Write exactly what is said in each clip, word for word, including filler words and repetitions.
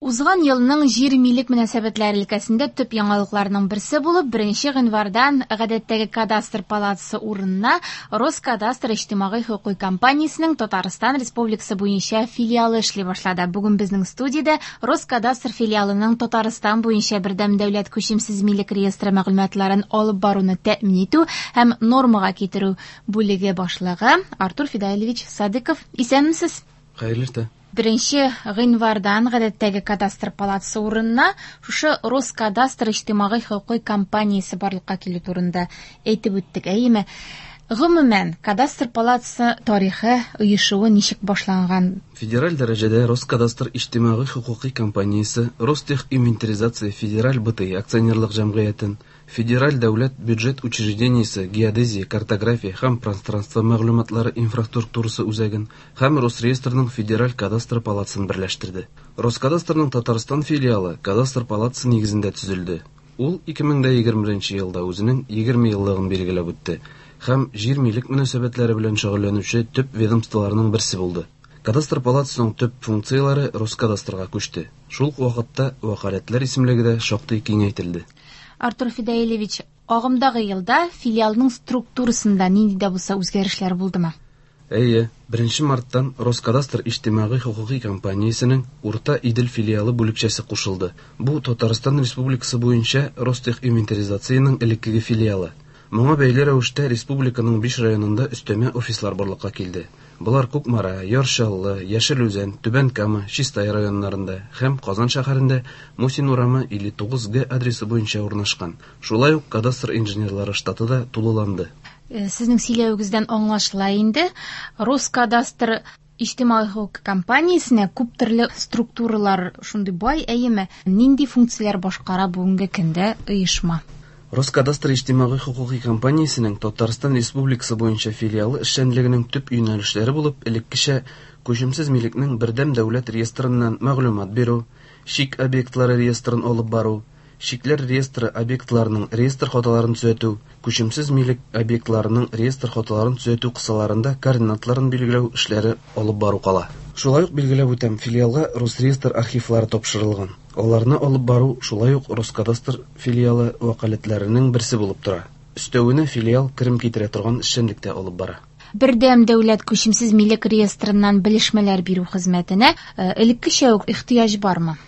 Узган елның җир милек мөнәсәбәтләре өлкәсендә төп яңалыкларның берсе булып, беренче гыйнвардан гадәттәге кадастр палатасы урынына Роскадастр иҗтимагый хокукый компаниясенең Татарстан Республикасы буенча филиалы эшли башлады. Бүген безнең студиядә Роскадастр филиалының Татарстан буенча бердәм дәүләт күчемсез милек реестры мәгълүматларын алып баруны тәэмин итү һәм нормага китерү бүлеге башлыгы Артур Фидаилевич Садыков. Исәнмесез? Хәерле иртә. Беренче гыйнвардан гадәттәге кадастр палатасы урынына шушы Роскадастр иҗтимагый хокукый компаниясе барлыкка килү турында әйтеп үттек, әйеме? Гомумән, кадастр палатасы тарихы, оешуы ничек башланган? Федераль дәрәҗәдә Роскадастр иҗтимагый хокукый компаниясе Ростехинвентаризация федераль Б Т И акционерлык җәмгыятен, Федераль дәүләт бюджет учреждениесе Геодезия, картография һәм пространство мәгълүматлары инфраструктурасы үзәген һәм Росреестрның Федераль кадастр палатасын берләштерде. Роскадастрның Татарстан филиалы кадастр палатасы нигезендә төзелде. Ул ике мең егерме беренче елда үзенең егерме еллыгын билгеләп үтте һәм җир милек мөнәсәбәтләре белән шөгыльләнүче төп ведомстволарның берсе булды. Кадастр палатасының төп функцияләре Роскадастрга күчте. Шул ук вакытта вәкаләтләр исемлеге дә шактый киңәйтелде. Артур Фидаилевич, агымдагы елда филиалның структурасында нинди дә булса үзгәрешләр булдымы? Әйе, беренче марттан Роскадастр иҗтимагый хокукый компаниясенең Урта Идел филиалы бүлекчәсе кушылды. Бу Татарстан Республикасы буенча Ростехинвентаризациянең элеккеге филиалы. Моңа бәйле рәвештә республиканың биш районында өстәмә офислар барлыкка килде. Болар Кукмара, Яр Чаллы, Яшел Үзән, Түбән Кама, Чистай районнарында һәм Казан шәһәрендә Мусин урамы илле тугыз Г адресы буенча урнашкан. Шулай ук кадастр инженерлары штаты да тулыланды. Э, Сезнең сөйләвегездән аңлашыла инде, Роскадастр иҗтимагый хокук компаниясенә күп төрле структуралар шундый бай, әйеме? Нинди функцияләр башкара бүгенге көндә оешма? Роскадастр иҗтимагый хокукый компаниясенең Татарстан Республикасы буенча филиалы эшчәнлегенең төп юнәлешләре булып элеккечә күчемсез милекнең бердәм дәүләт реестрыннан мәгълүмат бирү, чик объектлары реестрын алып бару, чикләр реестры объектларының реестр хаталарын төзәтү, күчемсез милек объектларының реестр хаталарын төзәтү кысаларында координатларын билгеләү эшләре алып бару кала. Шулай ук билгеләп үтәм, филиалга Росреестр архивлары тапшырылган. Аларны алып бару шулай ук Роскадастр филиалы вәкаләтләренең берсе булып тора. Өстәвенә филиал керем китерә торган эшчәнлек тә алып бара. Бердәм дәүләт күчемсез милек реестрыннан белешмәләр бирү хезмәтенә э, элеккечә үк ихтыяҗ бармы?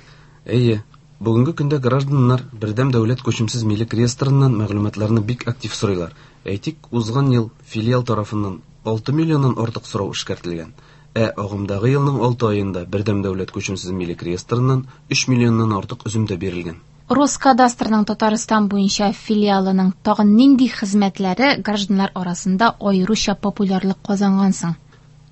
Әйе, бүгенге көндә гражданнар бердәм дәүләт күчемсез милек реестрыннан мәгълүматларны бик актив сорыйлар. Әйтик, узган ел филиал тарафыннан алты миллионнан артык сорау эшкәртелгән. Ә агымдагы елның алты аенда бердәм дәүләт күчемсез милек реестрыннан өч миллионнан артык өземтә бирелгән. Роскадастрның Татарстан буенча филиалының тагын нинди хезмәтләре гражданнар арасында аеруча популярлык казанган соң?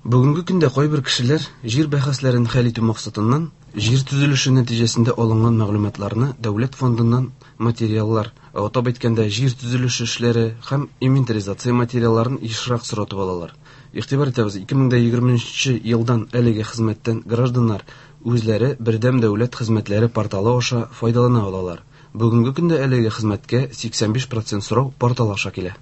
Бүгенге көндә кайбер кешеләр җир бәхәсләрен хәл итү максатыннан җир төзелеше нәтиҗәсендә алынган мәгълүматларны дәүләт фондыннан материаллар, атап әйткәндә, җир төзелеше эшләре һәм инвентаризация материалларын ешрак соратып алалар. Игътибар итәбез, ике мең егерменче елдан әлеге хезмәттән гражданнар үзләре бердәм дәүләт хезмәтләре порталы аша файдалана алалар. Бүгенге көндә әлеге хезмәткә сиксән биш процент сорау портал аша килә.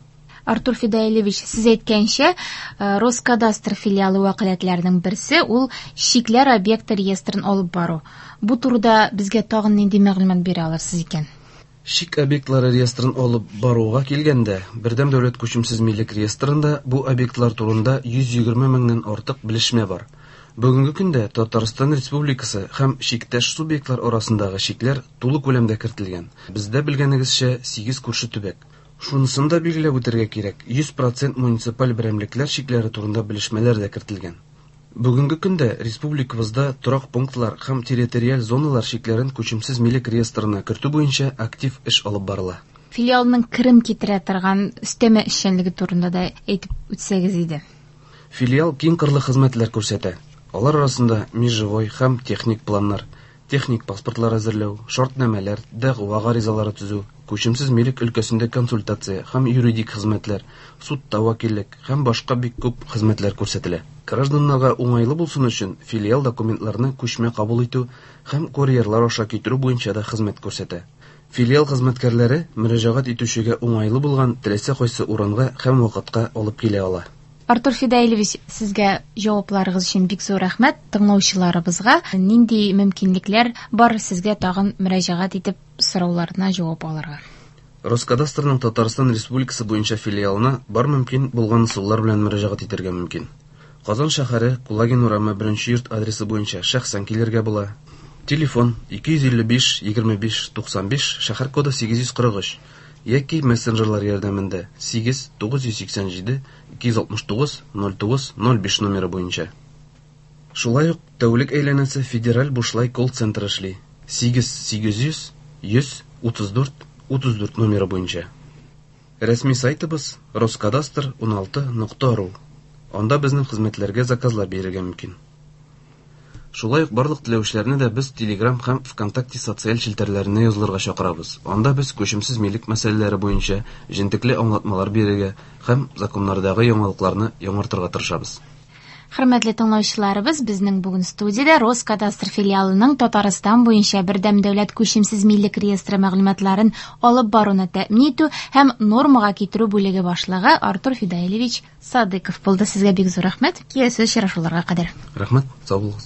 Артур Фидаилевич, сез әйткәнчә, э, Роскадастр филиалы вәкаләтләренең берсе ул чикләр объекты реестрын алып бару. Бу турыда безгә тагын нинди мәгълүмат бирә алырсыз икән? Чик объектлары реестрын алып баруга килгәндә, бердәм дәүләт күчемсез милек реестрында бу объектлар турында йөз егерме меңнән артык белешмә бар. Бүгенге көндә Татарстан Республикасы һәм чиктәш субъектлар арасындагы чикләр тулы күләмдә кертелгән. Бездә, белгәнегезчә, сигез күрше төбәк. Шунысын да билгеләп үтәргә кирәк, йөз процент муниципаль берәмлекләр чикләре турында белешмәләр дә кертелгән. Бүгенге көндә республикабызда торак пунктлар һәм территориаль зоналар чикләрен күчемсез милек реестрына кертү буенча актив эш алып барыла. Филиалның керем китерә торган өстәмә эшчәнлеге турында да әйтеп үтсәгез иде. Филиал киң кырлы хезмәтләр күрсәтә. Алар арасында межевой һәм техник планнар, техник паспортлар әзерләү, шартнамәләр, дәгъва гаризалары төзү, күчемсез милек өлкәсендә консультация һәм юридик хезмәтләр, судта вәкиллек һәм башка бик күп хезмәтләр күрсәтелә. Гражданнарга уңайлы булсын өчен филиал документларны күчмә кабул итү һәм курьерлар аша китерү буенча да хезмәт күрсәтә. Филиал хезмәткәрләре мөрәҗәгать итүчегә уңайлы булган теләсә кайсы урынга һәм вакытка алып килә ала. Артур Фидаилевич, сезгә җавапларыгыз өчен бик зур рәхмәт. Тыңлаучыларыбызга нинди мөмкинлекләр бар сезгә тагын мөрәҗәгать итеп сорауларына җавап алырга? Роскадастрның Татарстан Республикасы буенча филиалына бар мөмкин булган ысуллар белән мөрәҗәгать итәргә мөмкин. Казан шәһәре, Кулагин урамы, беренче йорт адресы буенча шәхсән килергә була. Телефон ике йөз илле биш, егерме биш, туксан биш, шәһәр коды сигез йөз кырык өч яки мессенджерлар ярдәмендә сигез, тугыз йөз сиксән җиде, ике йөз алтмыш тугыз, ноль тугыз, ноль биш номеры буенча. Шулай ук тәүлек әйләнәсе федераль бушлай колл-центр эшли. Сигез, сигез йөз, йөз, утыз дүрт, утыз дүрт номеры буенча. Рәсми сайтыбыз роскадастр уналты нокта ру. Анда безнең хезмәтләргә заказлар бирергә мөмкин. Шулай ук барлык теләүчеләрне дә без Telegram һәм ВКонтакте социаль челтәрләренә язылырга чакырабыз. Анда без күчемсез милек мәсьәләләре буенча җентекле аңлатмалар бирергә һәм законнардагы яңалыкларны яңартырга тырышабыз. Хөрмәтле тыңлаучыларыбыз, безнең бүген студиядә Роскадастр филиалының Татарстан буенча бердәм дәүләт күчемсез милек реестры мәгълүматларын алып баруны тәэмин итү һәм нормага китерү бүлеге башлыгы Артур Фидаилевич Садыков булды. Сезгә бик зур рәхмәт. Киләсе очрашуларга кадәр. Рәхмәт, сау булыгыз.